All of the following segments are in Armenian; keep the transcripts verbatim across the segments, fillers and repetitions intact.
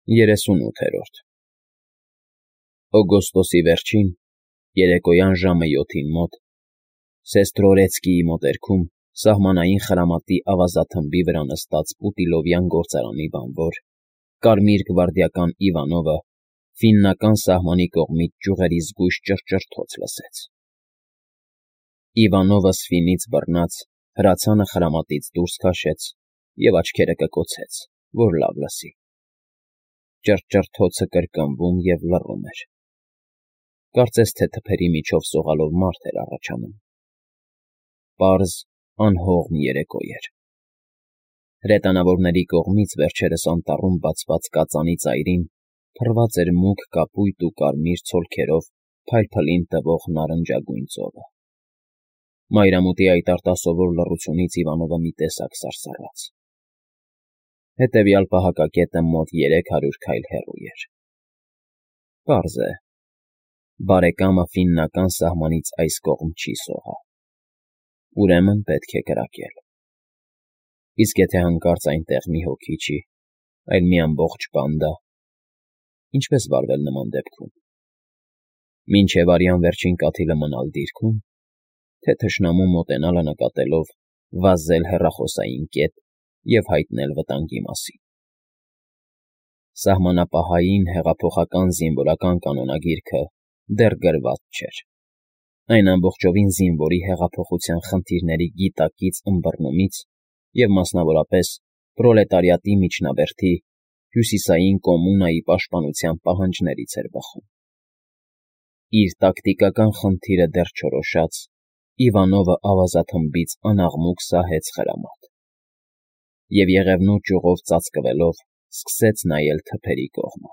Երեսունութերորդ Օգոստոսի վերջին, երեկոյան ժամը յոթին մոտ, Սեստրորեցկիի մոտերքում սահմանային խրամատի ավազաթմբի վրա նստած Պուտիլովյան գործարանի բանվոր, կարմիր գվարդիական Իվանովը ֆիննական սահմանի կողմից ճյուղերի զգույշ ճռճռթոց լսեց։ Իվանովը սվինից բռնած հրացանը խրամատից դուրս քաշեց և աչքերը կկոցեց, որ լավ լսի։ Ճռճռթոցը կրկնվում և լռում էր, կարծես թե թփերի միջով սողալով մարդ էր առաջանում։ Պարզ, անհողմ երեկո էր։ Հրետանավորների կողմից վերջերս անտառում բացված կածանի ծայրին փռված էր մուգ կապույտ ու կարմիր ցոլքերով փայլփլին տվող նարնջագույն ծովը։ Մայրամուտի այդ արտասովոր լռությունից Իվանովը մի տեսակ սարսռաց։ Հետևյալ պահակակետը մոտ երեք հարյուր քայլ հեռու էր։ Պարզ է, բարեկամը ֆիննական սահմանից այս կողմ չի սողա։ Ուրեմն պետք է կրակել։ Իսկ եթե հանկարծ այնտեղ մի հոգի չի, այլ մի ամբողջ բանդա, ինչպե՞ս վարվել նման դեպքում։ Մինչև արյան վերջին կաթիլը մնալ դիրքում, թե թշնամու մոտենալը նկատելով վազել հեռախոսային կետ և հայտնել վտանգի մասին։ Սահմանապահային հեղափոխական զինվորական կանոնագիրքը դեռ գրված չէր։ Այն ամբողջովին զինվորի հեղափոխության խնդիրների գիտակից ըմբռնումից և մասնավորապես պրոլետարիատի միջնաբերդի հյուսիսային կոմունայի պաշտպանության պահանջներից էր բխում։ Իր տակտիկական խնդիրը դեռ չորոշած, Իվանովը ավազաթմբից անաղմուկ սահեց խրամատ և եղևնու ճյուղով ծածկվելով սկսեց նայել թփերի կողմը։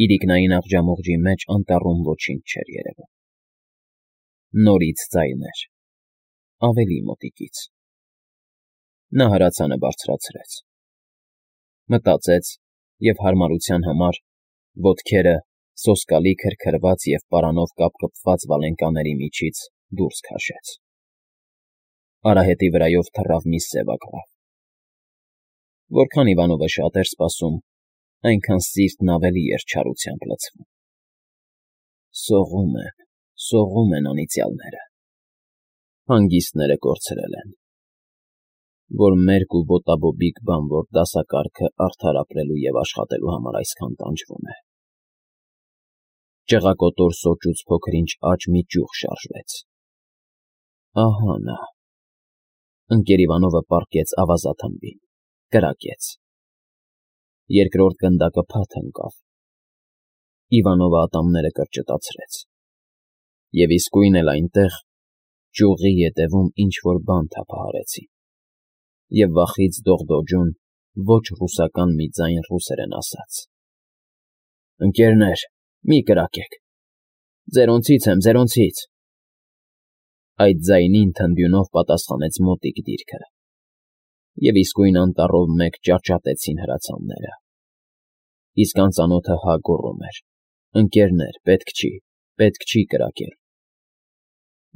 Իրիկնային աղջամուղջի մեջ անտառում ոչինչ չէր երևում։ Նորից ձայներ, ավելի մոտիկից։ Նա հրացանը բարձրացրեց։ Մտածեց և հարմարության համար ոտքերը սոսկալի քրքրված և պարանով կապկպված վալենկաների միջից դուրս քաշեց։ Արահետի վրայով թռավ մի սև ագռավ։ Որքան Իվանովը շատ էր սպասում, այնքան սիրտն ավելի էր չարությամբ լցվում։ Սողում են, սողում են անիծյալները։ Հանգիստները կորցրել են, որ մերկ ու ոտաբոբիկ բանվոր դասակարգը արդար ապրելու և աշխատելու համար այսքան տանջվում է։ Ճղակոտոր սոճուց փոքր-ինչ աջ մի ճյուղ շարժվեց։ Ահա նա։ Ընկեր Իվանովը պառկեց ավազաթմբին, կրակեց։ Երկրորդ գնդակը փաթ ընկավ։ Իվանովը ատամները կրճտացրեց։ Եվ իսկույն էլ այնտեղ, ճյուղի ետևում ինչ֊որ բան թափահարեցին, և վախից դողդոջուն ոչ ռուսական մի ձայն ռուսերեն ասաց. «Ընկերներ, մի կրակեք, ձերոնցից եմ, ձերոնցից»։ Այդ ձայնին թնդյունով պատասխանեց մոտիկ դիրքը, և իսկույն անտառով մեկ ճաճատեցին հրացանները։ Իսկ անծանոթը հա գոռում էր. «Ընկերներ, պետք չի, պետք չի կրակել»։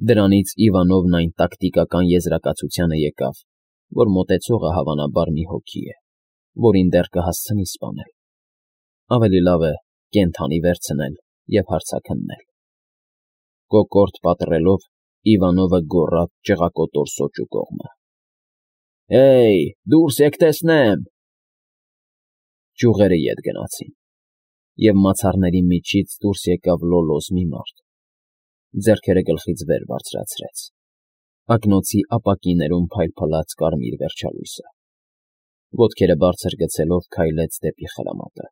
Դրանից Իվանովն այն տակտիկական եզրակացությանը եկավ, որ մոտեցողը հավանաբար մի հոգի է, որին դեռ կհասցնի սպանել։ Ավելի լավ է կենդանի վերցնել և հարցաքննել։ Կոկորդ պատռելով Իվանովը գոռաց ճղակոտոր սոճու կողմը. «Հեյ, դուրս եք տեսնեմ»։ Ճյուղերը ետ գնացին, և մացառների միջից դուրս եկավ լոլոզ մի մարդ, ձեռքերը գլխից վեր բարձրացրեց, ակնոցի ապակիներում փայլփլաց կարմիր վերջալույսը։ Ոտքերը բարձր գցելով քայլեց դեպի խրամատը,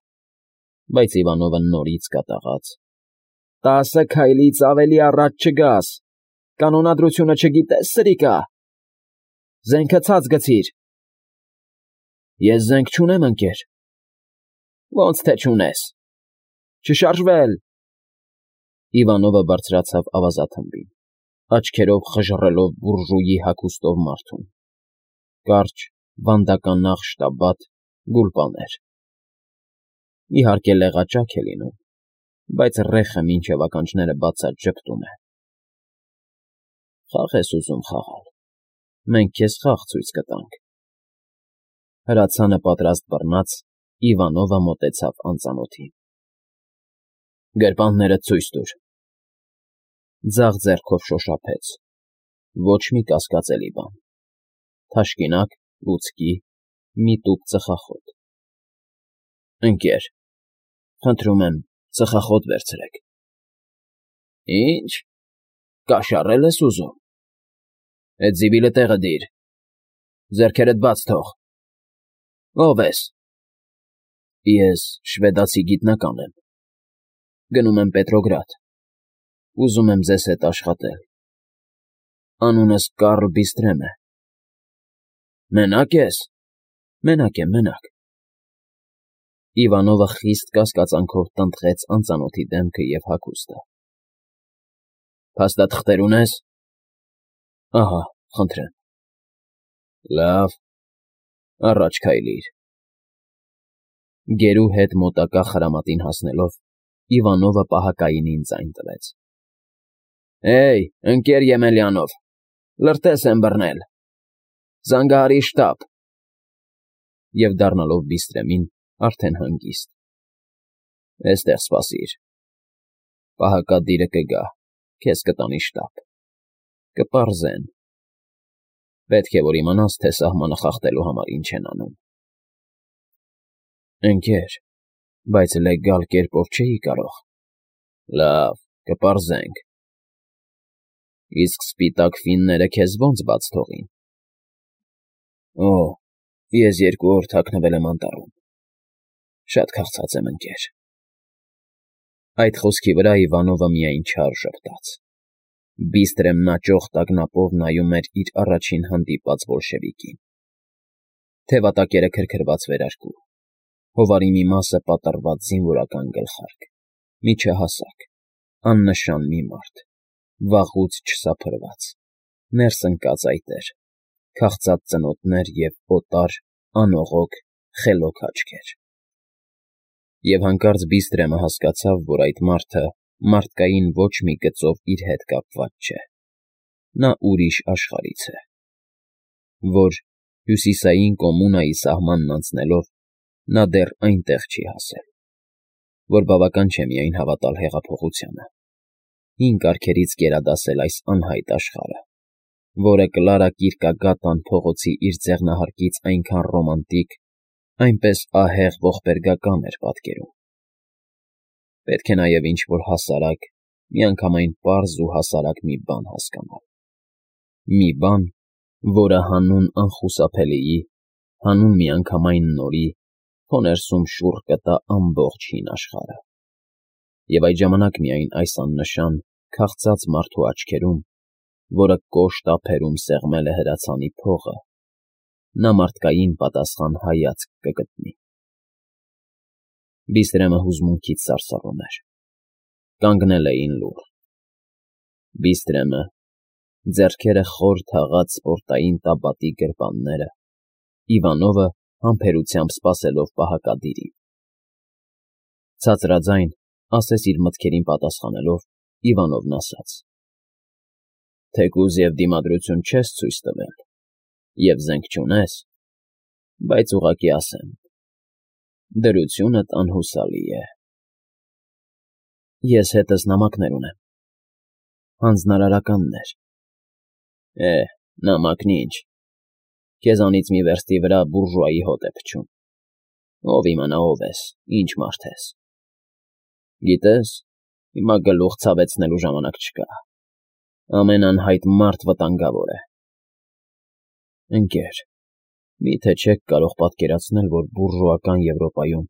բայց Իվանովը նորից կատաղաց. «Տասը քայլից ավելի առաջ չգաս, կանոնադրությունը չգիտե՞ս, սրիկա։ Զենքը ցած գցիր»։ Ես զենք չունեմ, ընկեր։ Ոնց թե չունես։ Չշարժվել։ Իվանովը բարձրացավ ավազաթմբին, աչքերով խժռելով բուրժուի հագուստով մարդուն։ Կարճ, վանդականաղ շտաբատ, գուլպաներ։ Իհարկե լեղաճակ է լինում, բայց ռեխը մինչև ականջները բացած ժպտում է։ Խաղ ես ուզում խաղալ, մենք քեզ խաղ ցույց կտանք։ Հրացանը պատրաստ բռնած, Իվանովը մոտեցավ անծանոթին։ Գրպաններդ ցույց տուր։ Ձախ ձեռքով շոշափեց։ Ոչ մի կասկածելի բան։ Թաշկինակ, լուցկի, մի տուփ ծխախոտ։ Ընկեր, խնդրում եմ, ծխախոտ վերցրեք։ Ինչ, կաշառել ես ուզում։ Էդ զիվիլը տեղը դիր։ Ձեռքերդ բաց թող։ Ո՞վ ես։ Ես շվեդացի գիտնական եմ։ Գնում եմ Պետրոգրադ։ Ուզում եմ ձեզ հետ աշխատել։ Անունս Կարլ Բիստրեմ է։ Մենա՞կ ես։ Մենակ եմ, մենակ։ Իվանովը խիստ կասկածանքով տնտղեց անծանոթի դեմքը և հագուստը։ Փաստաթղթեր ունես։ Ահա, խնդրեմ։ Լավ, առաջ քայլիր։ Գերու հետ մոտակա խրամատին հասնելով, Իվանովը պահակայինին ձայն տվեց։ Հեյ, ընկեր Եմելյանով, լրտես եմ բռնել։ Զանգահարի շտաբ։ Եվ դառնալով Բիստրեմին, արդեն հանգիստ։ Էստեղ սպասիր։ Պահակադիրը կգա, քեզ կտանի շտաբ։ Կպարզեն։ Պետք է, որ իմանաս, թե սահմանը խախտելու համար ինչ են անում։ Ընկեր, բայց լեգալ կերպով չէի կարող։ Լավ, կպարզենք։ Իսկ սպիտակ ֆինները քեզ ո՞նց բաց թողին։ Օ, ես երկու օր թաքնվել եմ անտառում։ Շատ քաղցած եմ, ընկեր։ Այդ խոսքի վրա Իվանովը միայն չար ժպտաց։ Բիստրեմն աճող տագնապով նայում էր իր առաջին հանդիպած բոլշևիկին։ Թևատակերը քրքրված վերարկու, հովարի մի մասը պատռված զինվորական գլխարկ, միջահասակ, աննշան մի մարդ, վաղուց չսափրված, ներս ընկած այտեր, քաղցած ծնոտներ և օտար, անողոք, խելոք աչքեր։ Եվ հանկարծ Բիստրեմը հասկացավ, որ այդ մարդը մարդկային ոչ մի գծով իր հետ կապված չէ։ Նա ուրիշ աշխարհից է, որ, հյուսիսային կոմունայի սահմանն անցնելով, նա դեռ այնտեղ չի հասել, որ բավական չէ միայն հավատալ հեղափոխությանը, հին կարգերից գերադասել այս անհայտ աշխարհը, որը Կլարա Կիրկագատան փողոցի իր ձեռնահարկից այնքան ռոմանտիկ, այնպես ահեղ ողբերգական էր պատկերում։ Պետք է նաև ինչ-որ հասարակ, միանգամայն պարզ ու հասարակ մի բան հասկանալ։ Մի բան, որը հանուն անխուսափելիի, հանուն միանգամայն նորի, քո ներսում շուռ կտա ամբողջ հին աշխարհը։ Եվ այդ ժամանակ միայն այս աննշան, քաղցած մարդու աչքերում, որը կոշտ ափերում սեղմել է հրացանի փողը, նա մարդկային պատասխան հայացք կգտնի։ Բիստրեմը հուզմունքից սարսռում էր։ Կանգնել էին լուռ։ Բիստրեմը, ձեռքերը խոր թաղած սպորտային տաբատի գրպանները, Իվանովը համբերությամբ սպասելով պահակադիրին։ Ցածրաձայն, ասես իր մտքերին պատասխանելով, Իվանովն ասաց. Թեկուզ և դիմադրություն չես ցույց տվել, և զենք չունես, բայց ուղղակի ասեմ, դրությունդ անհուսալի է։ Ես հետս նամակներ ունեմ, հանձնարարականներ։ Է, նամակն ինչ, քեզանից մի վերստի վրա բուրժուայի հոտ է փչում։ Ով իմանա ով ես, ինչ մարդ ես։ Գիտես, հիմա գլուխ ցավեցնելու ժամանակ չկա։ Ամեն անհայտ մարդ վտանգավոր է։ Ընկեր, մի՞թե չեք կարող պատկերացնել, որ բուրժուական Եվրոպայում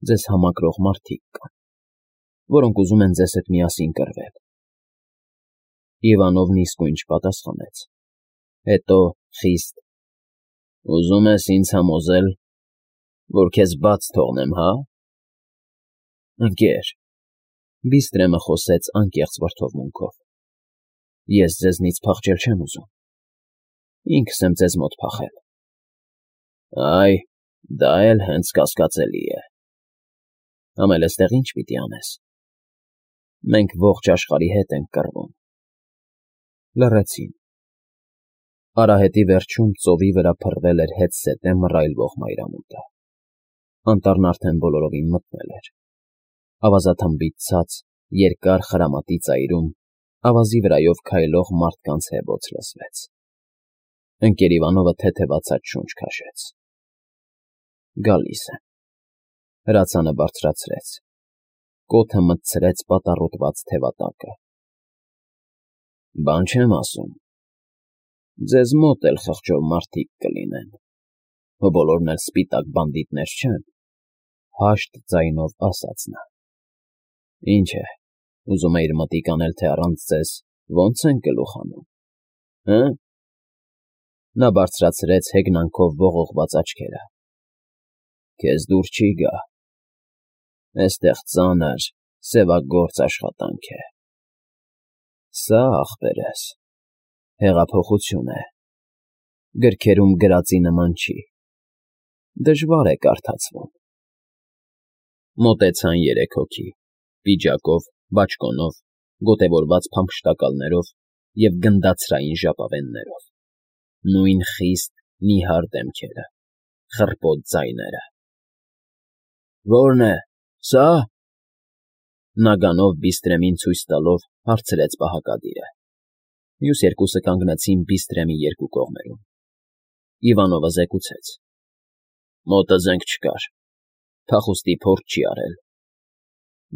ձեզ համակրող մարդիկ կան, որոնք ուզում են ձեզ հետ միասին կռվել։ Իվանովն իսկույն չպատասխանեց։ Հետո խիստ. Ուզում ես ինձ համոզել, որ քեզ բաց թողնեմ, հա։ Ընկեր, Բիստրեմը խոսեց անկեղծ վրդովմունքով։ Ես ձեզնից փախչել չեմ ուզում։ Ինքս եմ ձեզ մոտ փախել։ Այ, դա էլ հենց կասկածելի է։ Համ էլ էստեղ ինչ պիտի անես։ Մենք ողջ աշխարհի հետ ենք կռվում։ Լռեցին։ Արահետի վերջում ծովի վրա փռվել էր հետզհետե մռայլվող մայրամուտը։ Անտառն արդեն բոլորովին մթնել էր։ Ավազաթմբից ցած, երկար խրամատի ծայրում ավազի վրայով քայլող մարդկանց հեվոց լսվեց։ Ընկերիվանովը թեթևացած շունչ քաշեց։ Գալիս են։ Հրացանը բարձրացրեց։ Կոթը մտցրեց պատառոտված թևատակը։ Բան չեմ ասում։ Ձեզ մոտ էլ խղճով մարդիկ կլինեն, բոլորն էլ սպիտակ բանդիտներ չեն,֊ հաշտ ձայնով ասաց նա։ Ինչ է, ուզում էիր մտիկ անել, թե առանց ձեզ ո՞նց են գլուխ հանում, հը՞… Նա բարձրացրեց հեգնանքով ողողված աչքերը։ Քեզ դուր չի գա։ Էստեղ ծանր, սևագործ աշխատանք է։ Սա, ախպերս, հեղափոխություն է, գրքերում գրածի նման չի, դժվար է կարդացվում։ Մոտեցան երեք հոգի, պիջակով, բաճկոնով, գոտևորված փամփշտակալներով և գնդացրային ժապավեններով, նույն խիստ, նիհար դեմքերը, խռպոտ ձայները։ Ո՞րն է, սա՞… Նագանով Բիստրեմին ցույց տալով հարցրեց պահակադիրը։ Մյուս երկուսը կանգնեցին Բիստրեմի երկու կողմերում։ Իվանովը զեկուցեց. Մոտը զենք չկար, փախուստի փորձ չի արել։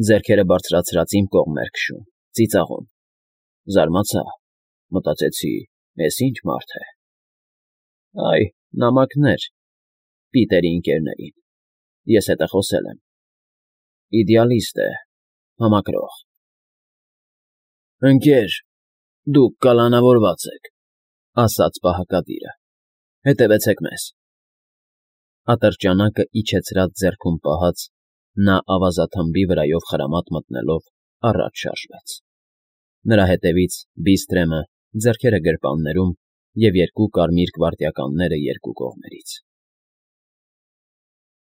Ձեռքերը բարձրացրած իմ կողմ էր քշում, ծիծաղում։ Զարմացա, մտածեցի, էս ի՞նչ մարդ է։ Այ, նամակներ, Պիտերի ընկերներին, ես հետ խոսել եմ։ Իդեալիստ է, համակրող։ Ընկեր, դուք կալանավորված եք,֊ ասաց պահակադիրը։ Հետևեցեք մեզ։ Ատրճանակը իջեցրած ձեռքում պահած՝ նա ավազաթմբի վրայով խրամատ մտնելով առաջ շարժվեց։ Նրա հետևից Բիստրեմը, ձեռքերը գրպաններում և երկու կարմիր գվարդիականները երկու կողմերից։